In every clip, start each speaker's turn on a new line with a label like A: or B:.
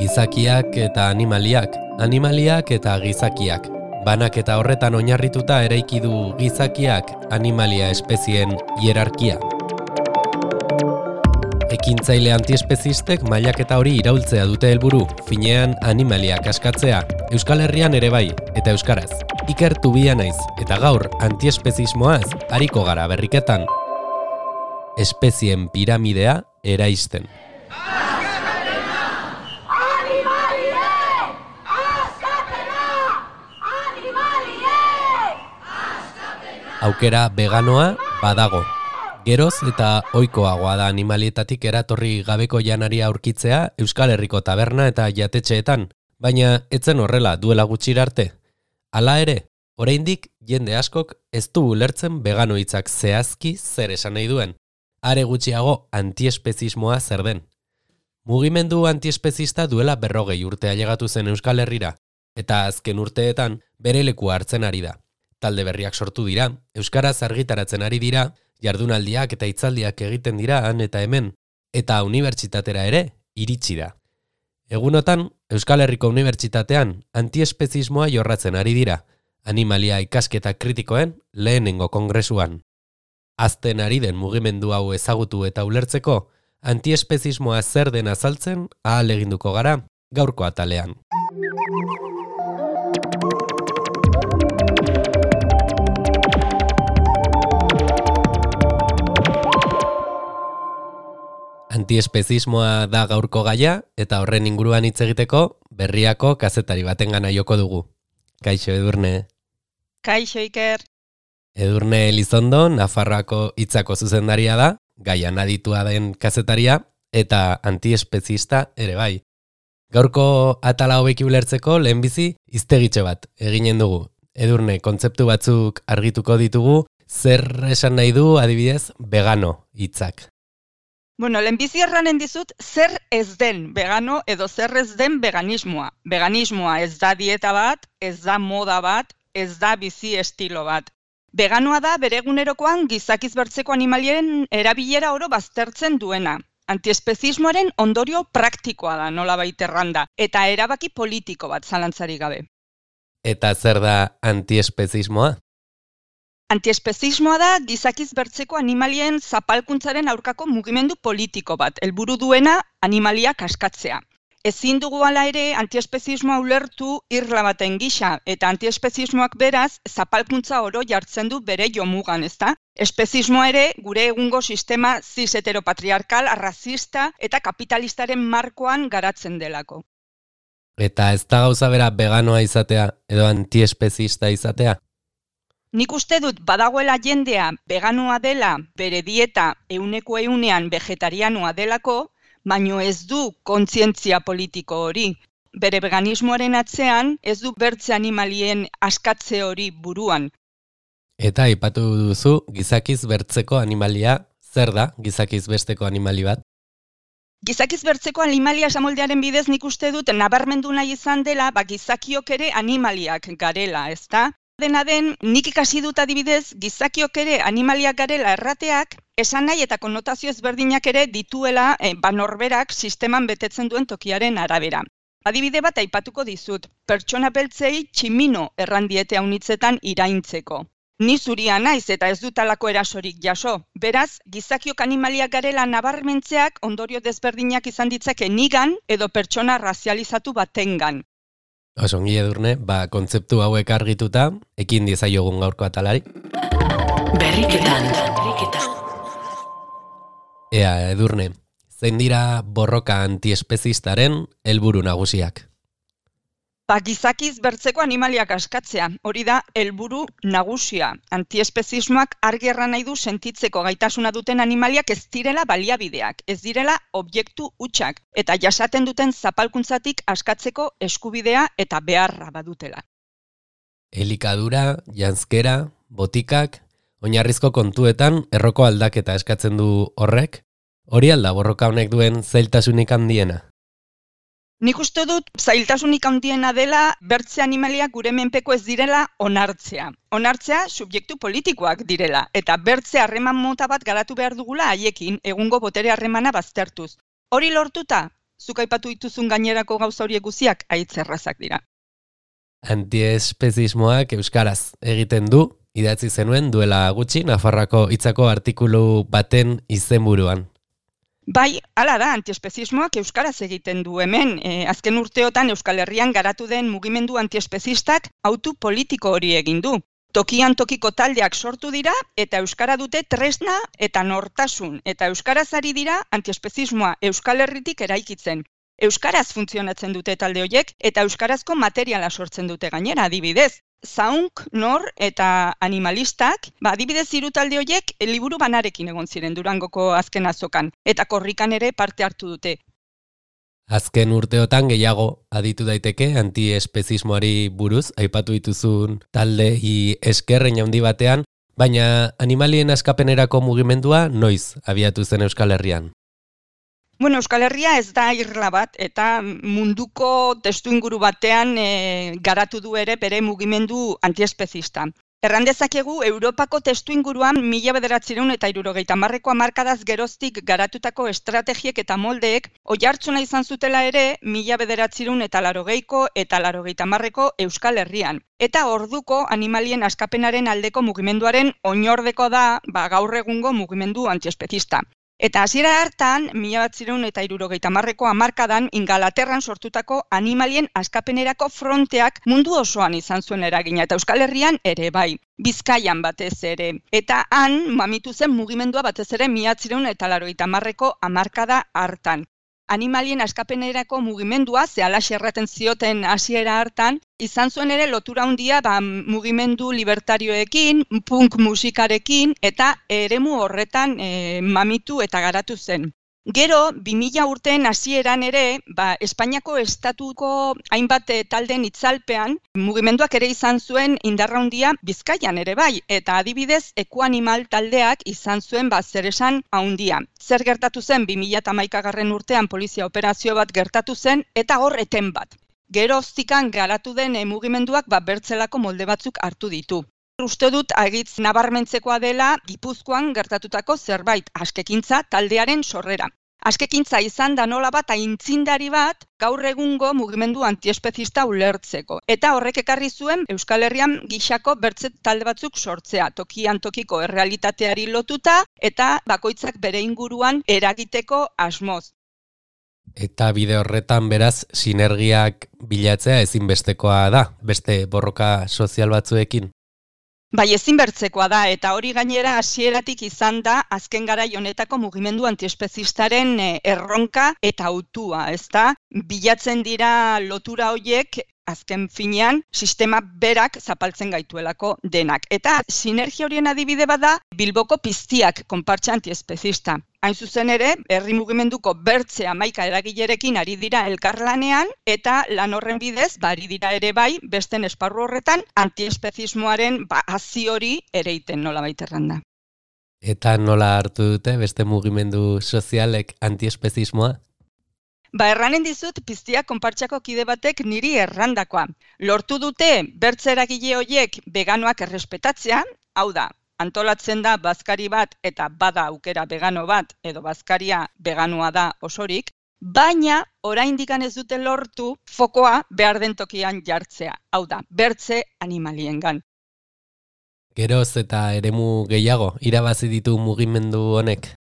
A: Gizakiak eta animaliak, animaliak eta gizakiak. Banak eta horretan oinarrituta eraiki du gizakiak animalia espezien hierarkia. Ekintzaile antiespezistek mailaketa hori iraultzea dute helburu, finean animaliak askatzea, Euskal Herrian ere bai, eta euskaraz. Iker Tubia naiz, eta gaur antiespezismoaz ariko gara berriketan. Espezien piramidea eraisten. Aukera veganoa badago. Geroz eta ohikoagoa da animalietatik eratorri gabeko janaria aurkitzea Euskal Herriko taberna eta jatetxeetan, baina etzen horrela duela gutxira arte. Hala ere, oraindik jende askok ez du ulertzen vegano hitzak zehazki zer esan nahi duen. Are gutxiago antiespezismoa zer den. Mugimendu antiespezista duela 40 urte ailegatu zen Euskal Herrira, eta azken urteetan bere lekua hartzen ari da. Talde berriak sortu dira, euskaraz argitaratzen ari dira, jardunaldiak eta hitzaldiak egiten dira han eta hemen, eta unibertsitatera ere iritsi da. Egunotan, Euskal Herriko Unibertsitatean antiespezismoa jorratzen ari dira, animalia ikasketa kritikoen lehenengo kongresuan. Azten ari den mugimendu hau ezagutu eta ulertzeko, antiespezismoa zer den azaltzen ahaleginduko gara gaurko atalean. Antiespezismoa da gaurko gaia eta horren inguruan hitz egiteko Berriako kazetari batengana joko dugu. Kaixo Edurne.
B: Kaixo Iker.
A: Edurne Elizondo, Nafarroako hitzako zuzendaria da, gaian aditua den kazetaria eta antiespezista ere bai. Gaurko atala hobeki ulertzeko lehenbizi hiztegitxo bat eginen dugu. Edurne, kontzeptu batzuk argituko ditugu, zer esan nahi du adibidez vegano hitzak.
B: Bueno, lehenbizi erranen dizut zer ez den vegano edo zer ez den veganismoa. Veganismoa ez da dieta bat, ez da moda bat, ez da bizi estilo bat. Veganoa da bere egunerokoan gizakiz bertzeko animalien erabilera oro baztertzen duena. Antiespezismoaren ondorio praktikoa da nolabait erranda, eta erabaki politiko bat zalantzarik gabe.
A: Eta zer da antiespezismoa?
B: Antiespezismoa da gizakiz bertzeko animalien zapalkuntzaren aurkako mugimendu politiko bat, helburu duena animaliak askatzea. Ezin dugu hala ere antiespezismoa ulertu irla baten gisa, eta antiespezismoak beraz zapalkuntza oro jartzen du bere jomugan, ezta? Espezismoa ere gure egungo sistema cis heteropatriarkal, arrazista eta kapitalistaren markoan garatzen delako.
A: Eta ez da gauza bera veganoa izatea edo antiespezista izatea?
B: Nik uste dut badagoela jendea veganoa dela, bere dieta 100% vegetarianoa delako, baino ez du kontzientzia politiko hori. Bere veganismoaren atzean ez du bertze animalien askatze hori buruan.
A: Eta aipatu duzu gizakiz bertzeko animalia, zer da gizakiz besteko animali bat?
B: Gizakiz bertzeko animalia esamoldearen bidez nik uste dut nabarmendu nahi izan dela, gizakiok ere animaliak garela, ezta? Dena den, nik ikasi dut adibidez, gizakiok ere animaliak garela errateak, esan nahi eta konnotazio ezberdinak ere dituela norberak sisteman betetzen duen tokiaren arabera. Adibide bat aipatuko dizut, pertsona beltzei tximino errandiete haunitzetan iraintzeko. Ni zuria naiz eta ez dut halako erasorik jaso. Beraz, gizakiok animaliak garela nabarmentzeak ondorio desberdinak izan ditzake nigan edo pertsona razializatu batengan.
A: Osongi Edurne, kontzeptu hauek argituta, ekin diezaiogun gaurko atalari.
C: Berriketan.
A: Ea, Edurne, zein dira borroka antiespezistaren helburu nagusiak?
B: Gizakiz bertzeko animaliak askatzea, hori da helburu nagusia. Antiespezismoak argi erran nahi du sentitzeko gaitasuna duten animaliak ez direla baliabideak, ez direla objektu hutsak, eta jasaten duten zapalkuntzatik askatzeko eskubidea eta beharra badutela.
A: Elikadura, janzkera, botikak, oinarrizko kontuetan erroko aldaketa eskatzen du horrek, hori alda borroka honek duen zailtasunik handiena.
B: Nik uste dut zailtasunik handiena dela bertze animaliak gure menpeko ez direla onartzea. Onartzea subjektu politikoak direla, eta bertze harreman mota bat garatu behar dugula haiekin egungo botere harremana baztertuz. Hori lortuta, zuk aipatu dituzun gainerako gauza horiek guztiak haitz errazak dira.
A: Antiespezismoak euskaraz egiten du, idatzi zenuen duela gutxi Nafarroako hitzako artikulu baten izenburuan.
B: Bai, hala da, antiespezismoak euskaraz egiten du hemen. Azken urteotan Euskal Herrian garatu den mugimendu antiespezistak autu politiko hori egin du. Tokian tokiko taldeak sortu dira eta euskara dute tresna eta nortasun. Eta euskaraz ari dira antiespezismoa Euskal Herritik eraikitzen. Euskaraz funtzionatzen dute talde horiek eta euskarazko materiala sortzen dute gainera, adibidez. Zaunk, Nor eta Animalistak, adibidez hiru talde horiek liburu banarekin egon ziren Durangoko azken azokan, eta korrikan ere parte hartu dute.
A: Azken urteotan gehiago aditu daiteke antiespezismoari buruz, aipatu dituzun taldei eskerrein handi batean, baina animalien askapenerako mugimendua noiz abiatu zen Euskal Herrian?
B: Bueno, Euskal Herria ez da irla bat eta munduko testuinguru batean garatu du ere bere mugimendu antiespezista. Erran dezakegu Europako testuinguruan 1970ko hamarkadaz geroztik garatutako estrategiek eta moldeek oihartzuna izan zutela ere 1980ko eta 1990ko Euskal Herrian. Eta orduko animalien askapenaren aldeko mugimenduaren oinordeko da gaur egungo mugimendu antiespezista. Eta hasiera hartan, 1970ko hamarkadan Ingalaterran sortutako animalien askapenerako fronteak mundu osoan izan zuen eragina, eta Euskal Herrian ere bai, Bizkaian batez ere. Eta han mamitu zen mugimendua batez ere 1980ko hamarkada hartan. Animalien askapenerako mugimendua, zehalaxe erraten zioten hasiera hartan, izan zuen ere lotura handia mugimendu libertarioekin, punk musikarekin eta eremu horretan mamitu eta garatu zen. Gero, 2000 urteen hasieran ere, Espainiako estatuko hainbat talden itzalpean, mugimenduak ere izan zuen indarra handia Bizkaian ere bai, eta adibidez Ekuanimal taldeak izan zuen zeresan handia. Zer gertatu zen 2011 urtean polizia operazio bat gertatu zen eta hor eten bat. Geroztikan garatu den mugimenduak bertzelako molde batzuk hartu ditu. Uste dut agitz nabarmentzekoa dela Gipuzkoan gertatutako zerbait, askekintza taldearen sorrera. Askekintza izan da nola bat aintzindari bat gaur egungo mugimendu antiespezista ulertzeko. Eta horrek ekarri zuen Euskal Herrian gixako bertze talde batzuk sortzea, tokian tokiko errealitateari lotuta eta bakoitzak bere inguruan eragiteko asmoz.
A: Eta bide horretan beraz sinergiak bilatzea ezinbestekoa da, beste borroka sozial batzuekin.
B: Bai, ezinbertzekoa da, eta hori gainera hasieratik izan da azken garai honetako mugimendu antiespezistaren erronka eta hautua, ezta? Bilatzen dira lotura horiek azken finean sistema berak zapaltzen gaituelako denak. Eta sinergia horien adibide bada Bilboko Piztiak konpartsa antiespezista. Hain zuzen ere, herri mugimenduko bertze 11 eragilerekin ari dira elkarlanean eta lan horren bidez, ari dira ere bai, besten esparru horretan antiespezismoaren hazi hori ereiten nolabait erranda.
A: Eta nola hartu dute beste mugimendu sozialek antiespezismoa?
B: Erranen dizut Piztiak konpartsako kide batek niri errandakoa. Lortu dute bertze eragile horiek veganoak errespetatzea, hau da, antolatzen da bazkari bat eta bada aukera vegano bat edo bazkaria veganoa da osorik, baina oraindik ez dute lortu fokoa behar den tokian jartzea, hau da, bertze animaliengan.
A: Geroz eta eremu gehiago irabazi ditu mugimendu honek?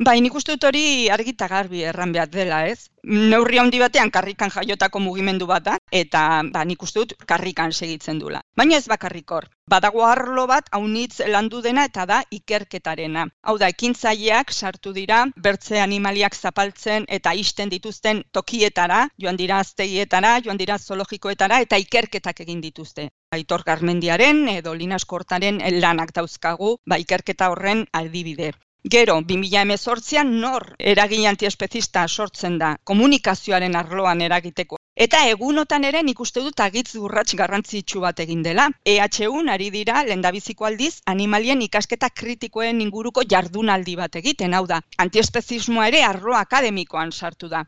B: Bai, nik uste dut hori argi eta garbi erran behar dela, ez? Neurri handi batean karrikan jaiotako mugimendu bat da, eta nik uste dut karrikan segitzen dula. Baina ez bakarrik hor. Badago arlo bat haunitz landu dena eta da ikerketarena. Hau da, ekintzaileak sartu dira, bertze animaliak zapaltzen eta isten dituzten tokietara, joan dira aztegietara, joan dira zoologikoetara eta ikerketak egin dituzte. Aitor Garmendiaren edo Linas Kortaren lanak dauzkagu, ikerketa horren adibide. Gero, 2018an nor eragile antiespezista sortzen da, komunikazioaren arloan eragiteko. Eta egunotan ere nik uste dut agitz urrats garrantzitsu bat egin dela. EHUn ari dira lehendabiziko aldiz animalien ikasketa kritikoen inguruko jardunaldi bat egiten, hau da, antiespezismoa ere arlo akademikoan sartu da.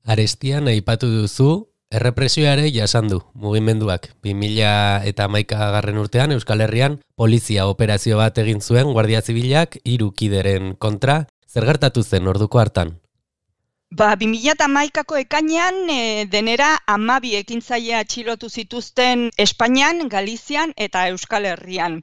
A: Arestian aipatu duzu, errepresioare jasan du mugimenduak. 2011 urtean Euskal Herrian polizia operazio bat egin zuen Guardia Zibilak 3 kideren kontra. Zer gertatu zen orduko hartan?
B: 2011ko ekainean denera 12 ekintzaile atxilotu zituzten Espainian, Galizian eta Euskal Herrian.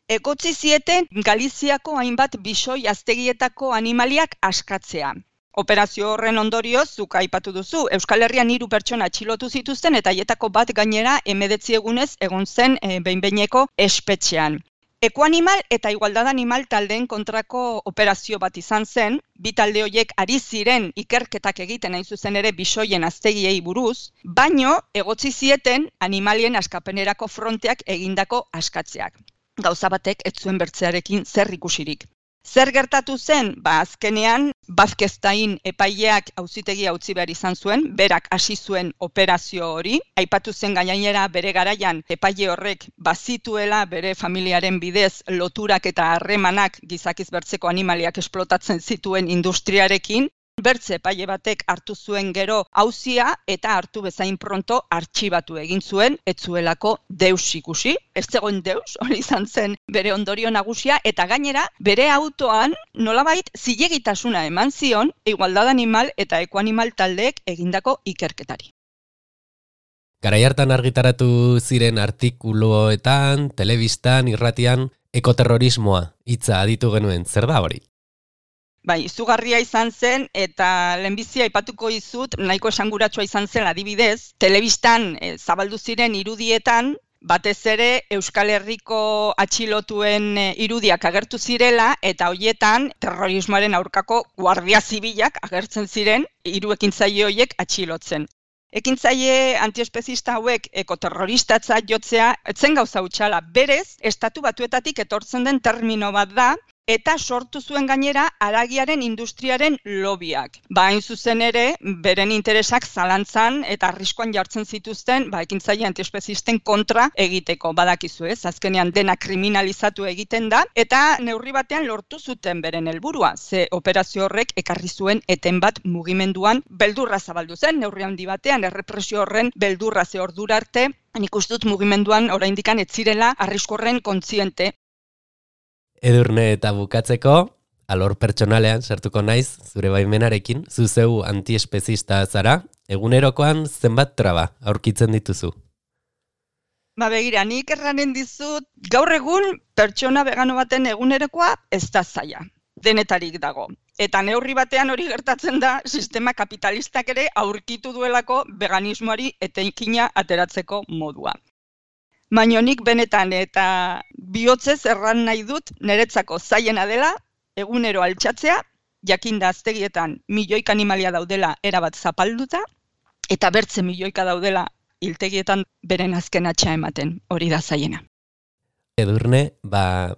B: Egotzi zieten Galiziako hainbat bisoi aztegietako animaliak askatzea. Operazio horren ondorioz, zuk aipatu duzu, Euskal Herrian 3 pertsona atxilotu zituzten eta haietako bat gainera 19 egunez egon zen behin-behineko espetxean. Ekoanimal eta igualdad animal taldeen kontrako operazio bat izan zen, bi talde horiek ari ziren ikerketak egiten hain zuzen ere bisoien aztegiei buruz, baino egotzi zieten animalien askapenerako fronteak egindako askatzeak. Gauza batek ez zuen bertzearekin zer ikusirik. Zer gertatu zen? Azkenean, Bazkeztain epaileak auzitegia utzi behar izan zuen, berak hasi zuen operazio hori. Aipatu zen gainera bere garaian epaile horrek bazituela bere familiaren bidez loturak eta harremanak gizakiz bertzeko animaliak esplotatzen zituen industriarekin. Bertze epaile batek hartu zuen gero auzia eta hartu bezain pronto artxibatu egin zuen, ez zuelako deus ikusi. Ez zegoen deus, hori izan zen bere ondorio nagusia, eta gainera bere autoan nolabait zilegitasuna eman zion igualdad animal eta ekoanimal taldeek egindako ikerketari.
A: Garai hartan argitaratu ziren artikuluetan, telebistan, irratian, ekoterrorismoa hitza aditu genuen, zer da hori?
B: Bai, izugarria izan zen eta lehenbizi aipatuko dizut, nahiko esanguratsua izan zen adibidez, telebistan zabaldu ziren irudietan, batez ere Euskal Herriko atxilotuen irudiak agertu zirela eta hoietan terrorismoaren aurkako guardia zibilak agertzen ziren 3 ekintzaile horiek atxilotzen. Ekintzaile antiespezista hauek ekoterroristatzat jotzea etzen gauza hutsala, berez Estatu Batuetatik etortzen den termino bat da, eta sortu zuen gainera haragiaren industriaren lobiak. Hain zuzen ere, beren interesak zalantzan eta arriskuan jartzen zituzten ekintzaile antiespezisten kontra egiteko. Badakizu ez, azkenean dena kriminalizatu egiten da, eta neurri batean lortu zuten beren helburua. Ze operazio horrek ekarri zuen eten bat mugimenduan beldurra zabaldu zen, neurri handi batean errepresio horren beldurra ze ordura arte, nik uste dut mugimenduan oraindikan ez zirela arrisku horren kontziente.
A: Edurne eta bukatzeko, alor pertsonalean sartuko naiz, zure baimenarekin, zuzeu antiespezista zara, egunerokoan zenbat traba aurkitzen dituzu?
B: Begira, nik erranen dizut, gaur egun pertsona vegano baten egunerokoa ez da zaila, denetarik dago. Eta neurri batean hori gertatzen da, sistema kapitalistak ere aurkitu duelako veganismoari etenkina ateratzeko modua. Baina nik benetan eta bihotzez erran nahi dut niretzako zailena dela, egunero altxatzea, jakinda aztegietan milioika animalia daudela erabat zapalduta, eta bertze milioika daudela hiltegietan beren azken atxa ematen, hori da zailena.
A: Edurne,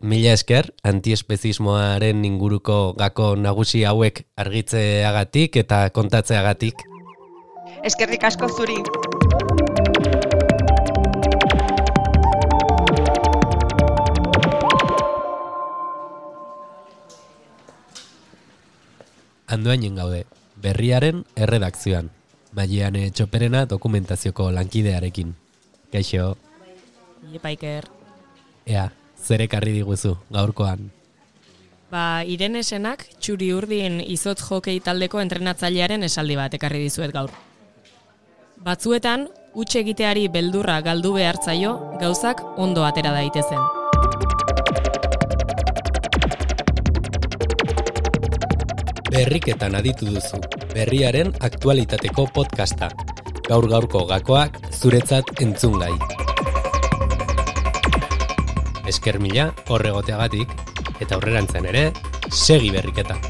A: mila esker, antiespezismoaren inguruko gako nagusi hauek argitzeagatik eta kontatzeagatik.
B: Eskerrik asko zuri.
A: Andoainen gaude, Berriaren erredakzioan, Maiane Txoperena dokumentazioko lankidearekin. Kaixo.
D: Ipaiker.
A: Ea, zer ekarri diguzu gaurkoan?
D: Irene Senak txuri urdin izotz jokei taldeko entrenatzailearen esaldi bat ekarri dizuet gaur. Batzuetan, huts egiteari beldurra galdu behartzaio, gauzak ondo atera daitezen.
A: Berriketan aditu duzu, Berriaren aktualitateko podcasta. Gaur-gaurko gakoak zuretzat entzungai. Esker mila horregoteagatik, eta aurrerantzen ere, segi Berriketan.